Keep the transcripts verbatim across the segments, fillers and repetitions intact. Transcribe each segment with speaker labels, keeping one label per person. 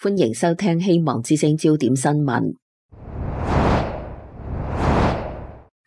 Speaker 1: 歡迎收聽希望之聲焦點新聞。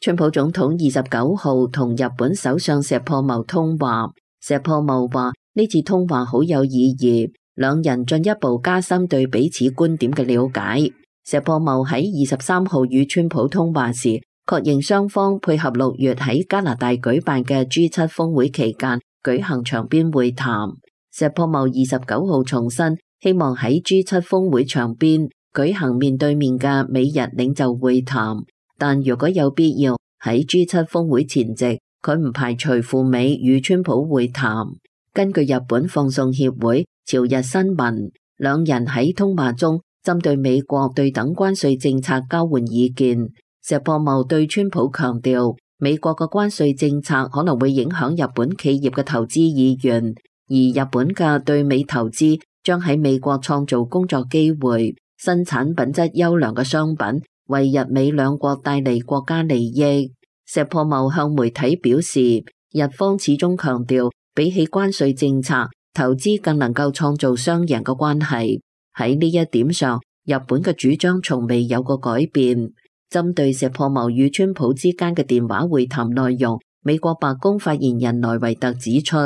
Speaker 1: 川普總統二十九號同日本首相石破茂通話，石破茂話呢次通話好有意義，兩人進一步加深對彼此觀點嘅了解。石破茂喺二十三號與川普通話時，確認雙方配合六月喺加拿大舉辦嘅 G 七峰會期間舉行場邊會談。石破茂二十九號重申，希望喺 G 七峰會場邊舉行面對面嘅美日領袖會談，但如果有必要喺 G 七峰會前夕，佢唔排除赴美與川普會談。根據日本放送協會朝日新聞，兩人喺通話中針對美國對等關稅政策交換意見。石破茂對川普強調，美國嘅關稅政策可能會影響日本企業嘅投資意願，而日本嘅對美投資將喺美國創造工作機會，生產品質優良嘅商品，為日美兩國帶嚟國家利益。石破茂向媒體表示，日方始終強調，比起關稅政策，投資更能夠創造雙贏嘅關係。喺呢一點上，日本嘅主張從未有過改變。針對石破茂與川普之間嘅電話會談內容，美國白宮發言人萊維特指出，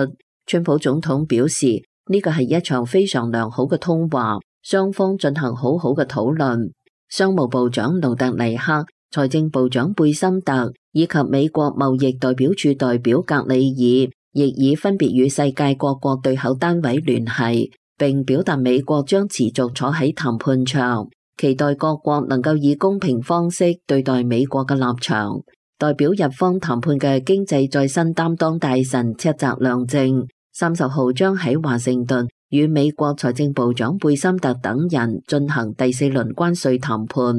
Speaker 1: 川普總統表示，呢個係一場非常良好嘅通話，雙方進行好好嘅討論。商務部長盧特尼克、財政部長貝森特以及美國貿易代表處代表格里爾，亦已分別與世界各國對口單位聯繫，並表達美國將持續坐喺談判場，期待各國能夠以公平方式對待美國嘅立場。代表日方談判嘅經濟再生擔當大臣赤澤亮正三十號將喺華盛頓與美國財政部長貝森特等人進行第四輪關稅談判。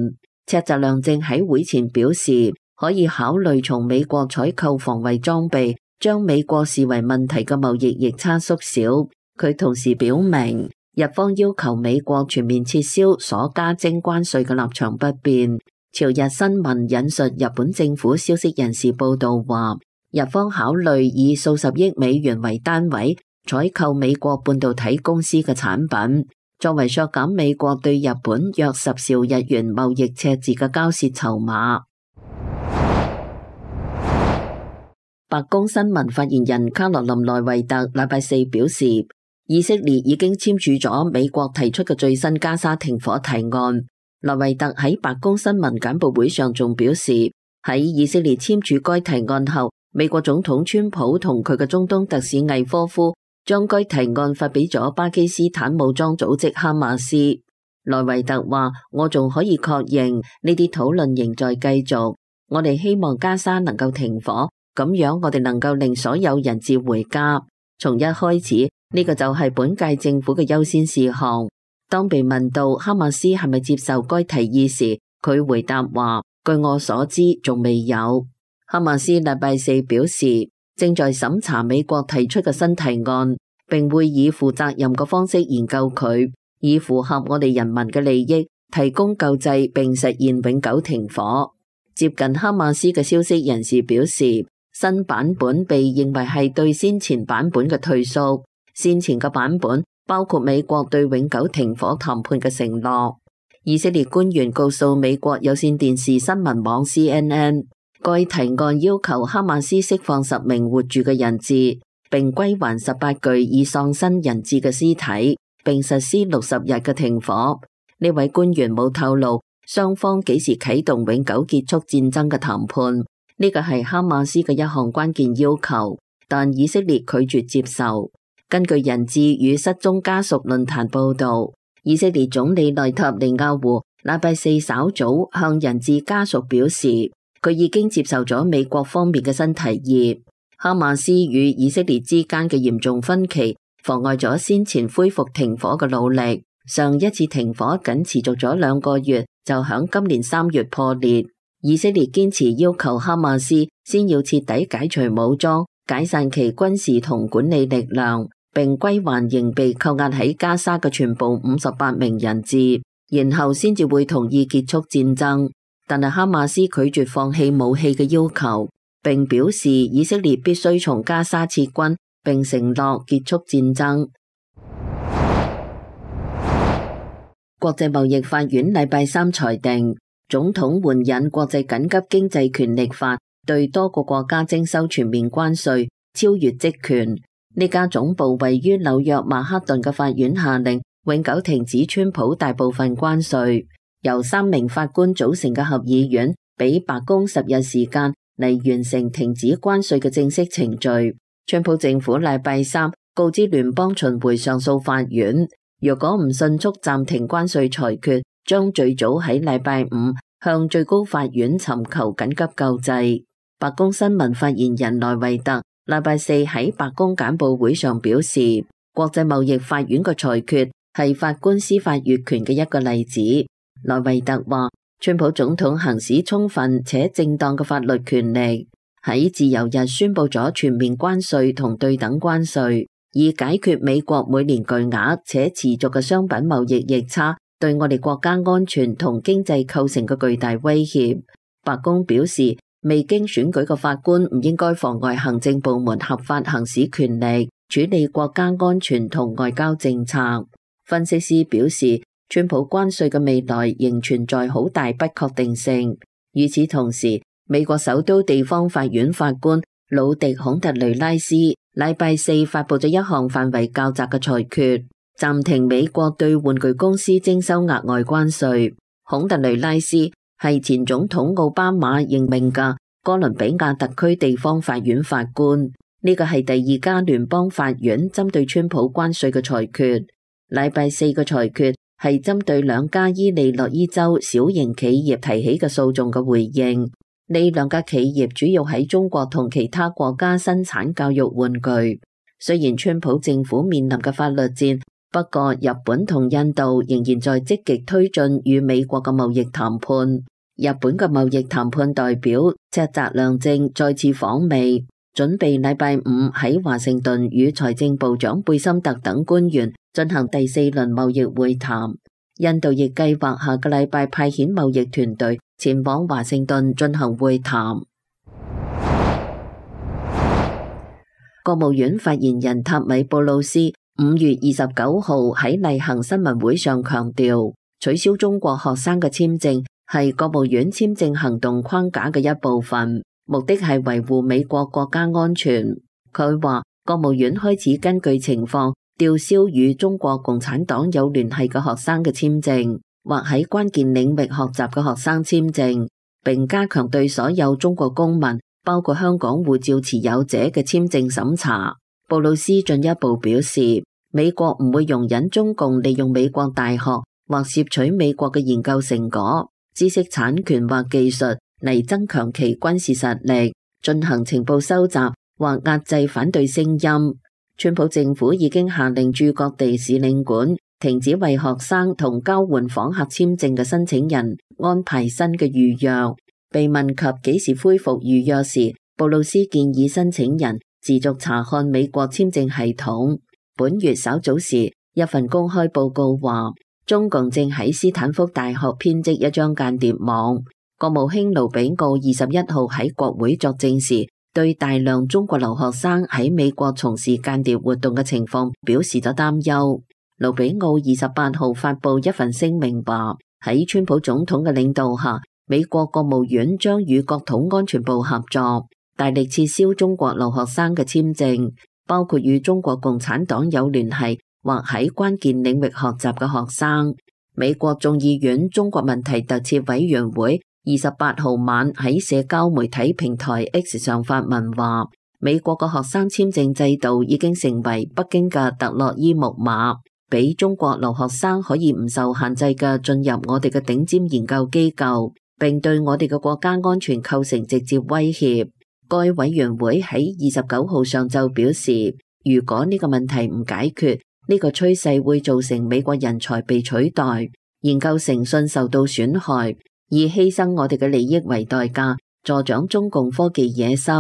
Speaker 1: 赤澤亮正喺會前表示，可以考慮從美國採購防衛裝備，將美國視為問題嘅貿易逆差縮小。佢同時表明，日方要求美國全面撤銷所加徵關稅嘅立場不變。朝日新聞引述日本政府消息人士報道話，日方考慮以數十億美元為單位採購美國半導體公司嘅產品，作為削減美國對日本約十兆日元貿易赤字嘅交涉籌碼。白宮新聞發言人卡羅琳萊維特禮拜四表示，以色列已經簽署咗美國提出嘅最新加沙停火提案。萊維特喺白宮新聞簡報會上仲表示，喺以色列簽署該提案後，美國總統川普同佢嘅中東特使魏科夫將該提案發俾咗巴基斯坦武裝組織哈馬斯。萊維特話，我仲可以確認呢啲討論仍在繼續，我哋希望加沙能夠停火，咁樣我哋能夠令所有人質回家。從一開始，呢個就係本屆政府嘅優先事項。當被問到哈馬斯係咪接受該提議時，佢回答話，據我所知仲未有。哈馬斯禮拜四表示，正在審查美國提出嘅新提案，並會以負責任嘅方式研究佢，以符合我哋人民嘅利益，提供救濟並實現永久停火。接近哈馬斯嘅消息人士表示，新版本被認為係對先前版本嘅退縮。先前嘅版本包括美國對永久停火談判嘅承諾。以色列官員告訴美國有線電視新聞網 C N N， 該提案要求哈馬斯釋放十名活住嘅人質，並歸還十八具已喪生人質嘅屍體，並實施六十日嘅停火。呢位官員冇透露雙方幾時啟動永久結束戰爭嘅談判，呢個係哈馬斯嘅一項關鍵要求，但以色列拒絕接受。根據人質與失蹤家屬論壇報道，以色列總理內塔尼亞胡禮拜四稍早向人質家屬表示，佢已經接受咗美國方面嘅新提議。哈馬斯與以色列之間嘅嚴重分歧妨礙咗先前恢復停火嘅努力。上一次停火僅持續咗兩個月，就響今年三月破裂。以色列堅持要求哈馬斯先要徹底解除武裝，解散其軍事同管理力量，並歸還仍被扣押喺加沙嘅全部五十八名人質，然後先至會同意結束戰爭。但係哈馬斯拒絕放棄武器嘅要求，並表示以色列必須從加沙撤軍，並承諾結束戰爭。國際貿易法院禮拜三裁定，總統援引國際緊急經濟權力法，對多個國家徵收全面關稅，超越職權。呢家總部位於紐約曼克頓嘅法院下令永久停止川普大部分關稅。由三名法官組成嘅合議院俾白宮十日時間嚟完成停止關稅嘅正式程序。川普政府禮拜三告知聯邦巡迴上訴法院，若果唔迅速暫停關稅裁決，將最早喺禮拜五向最高法院尋求緊急救濟。白宮新聞發言人萊維特禮拜四喺白宮簡報會上表示，國際貿易法院嘅裁決係法官司法越權嘅一個例子。萊維特話，川普總統行使充分且正當嘅法律權力，喺自由日宣布咗全面關稅同對等關稅，以解決美國每年巨額且持續嘅商品貿易逆差對我哋國家安全同經濟構成嘅巨大威脅。白宮表示，未經選舉嘅法官唔應該妨礙行政部門合法行使權力，處理國家安全同外交政策。分析師表示，川普關稅嘅未來仍存在好大不確定性。與此同時，美國首都地方法院法官魯迪孔特雷拉斯禮拜四發佈咗一項範圍較窄嘅裁決，暫停美國對玩具公司徵收額外關稅。孔特雷拉斯係前總統奧巴馬任命嘅哥倫比亞特區地方法院法官，呢個係第二家聯邦法院針對川普關稅嘅裁決。禮拜四嘅裁決係針對兩家伊利諾伊州小型企業提起嘅訴訟嘅回應。呢兩家企業主要喺中國同其他國家生產教育玩具。雖然川普政府面臨嘅法律戰，不過日本同印度仍然在積極推進與美國嘅貿易談判。日本嘅貿易談判代表赤澤良正再次訪美，準備禮拜五喺華盛頓與財政部長貝森特等官員進行第四輪貿易會談。印度亦計劃下個禮拜派遣貿易團隊前往華盛頓進行會談。國務院發言人塔米布魯斯五月二十九號喺例行新聞會上強調，取消中國學生嘅簽證係國務院簽證行動框架嘅一部分，目的係維護美國國家安全。佢話，國務院開始根據情況吊銷與中國共產黨有聯繫嘅學生嘅簽證，或喺關鍵領域學習嘅學生簽證，並加強對所有中國公民，包括香港護照持有者嘅簽證審查。布魯斯進一步表示，美國唔會容忍中共利用美國大學或竊取美國嘅研究成果、知識產權或技術嚟增強其軍事實力，進行情報收集或壓制反對聲音。川普政府已經下令駐各地使領館停止為學生同交換訪客簽證嘅申請人安排新嘅預約。被問及幾時恢復預約時，布魯斯建議申請人持續查看美國簽證系統。本月稍早時，一份公開報告話，中共正喺斯坦福大學編織一張間諜網。國務卿盧比奧二十一號喺國會作證時，對大量中國留學生喺美國從事間諜活動嘅情況表示咗擔憂。盧比奧二十八號發布一份聲明話，喺川普總統嘅領導下，美國國務院將與國土安全部合作，大力撤銷中國留學生嘅簽證，包括與中國共產黨有聯繫或喺關鍵領域學習嘅學生。美國眾議院中國問題特設委員會二十八號晚喺社交媒體平台 X 上發文話，美國嘅學生簽證制度已經成為北京嘅特洛伊木馬，俾中國留學生可以唔受限制嘅進入我哋嘅頂尖研究機構，並對我哋嘅國家安全構成直接威脅。該委員會喺二十九號上晝表示，如果呢個問題唔解決，呢個趨勢會造成美國人才被取代，研究誠信受到損害，以犧牲我哋嘅利益為代價，助長中共科技野心。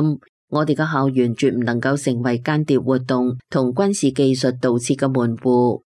Speaker 1: 我哋嘅校園絕唔能夠成為間諜活動同軍事技術盜竊嘅門戶。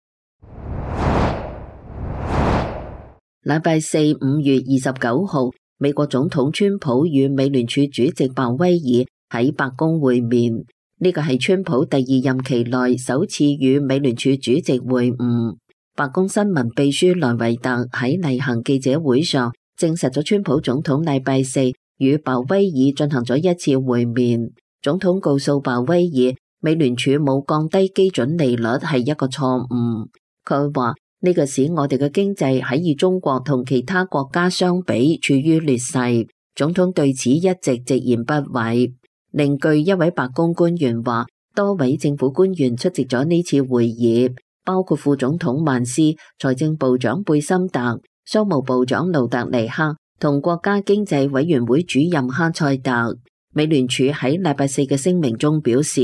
Speaker 1: 禮拜四五月二十九號，美國總統川普與美聯儲主席鮑威爾喺白宮會面。呢個係川普第二任期內首次與美聯儲主席會晤。白宮新聞秘書萊維特喺例行記者會上證實咗川普總統禮拜四與鮑威爾進行咗一次會面。總統告訴鮑威爾，美聯儲冇降低基準利率係一個錯誤。佢話呢個使我哋嘅經濟喺與中國同其他國家相比處於劣勢。總統對此一直直言不諱。另據一位白宮官員話，多位政府官員出席咗呢次會議，包括副總統曼斯、財政部長貝森特、商務部長盧特尼克同國家經濟委員會主任哈塞特。美聯儲喺禮拜四嘅聲明中表示，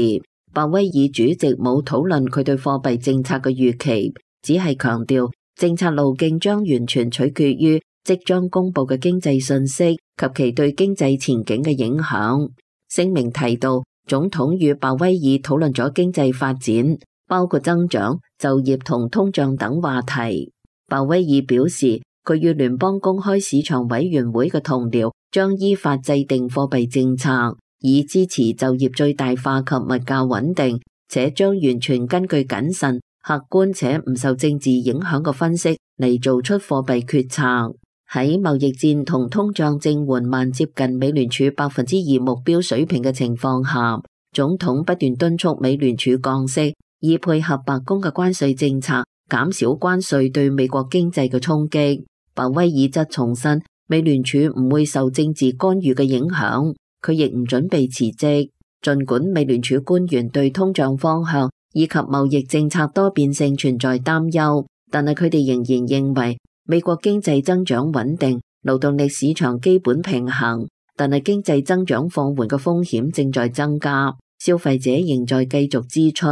Speaker 1: 鮑威爾主席冇討論佢對貨幣政策嘅預期，只係強調政策路徑將完全取決於即將公布嘅經濟信息及其對經濟前景嘅影響。聲明提到，總統與鮑威爾討論咗經濟發展，包括增長、就業同通脹等話題。鮑威爾表示，佢與聯邦公開市場委員會嘅同僚將依法制定貨幣政策，以支持就業最大化及物價穩定，且將完全根據謹慎、客觀且唔受政治影響嘅分析嚟做出貨幣決策。喺貿易戰同通脹正緩慢接近美聯儲百分之二目標水平嘅情況下，總統不斷敦促美聯儲降息，以配合白宮嘅關稅政策，減少關稅對美國經濟嘅衝擊。鮑威爾則重申，美聯儲唔會受政治干預嘅影響，佢亦唔準備辭職。儘管美聯儲官員對通脹方向以及貿易政策多變性存在擔憂，但係佢哋仍然認為美國經濟增長穩定，勞動力市場基本平衡，但係經濟增長放緩嘅風險正在增加，消費者仍在繼續支出。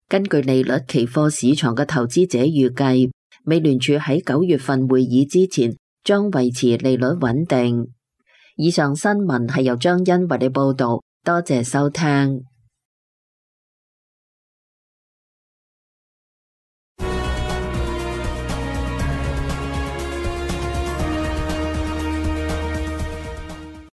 Speaker 1: 根據利率期貨市場嘅投資者預計，美聯儲喺九月份會議之前將維持利率穩定。以上新聞係由張欣為你報道，多謝收聽。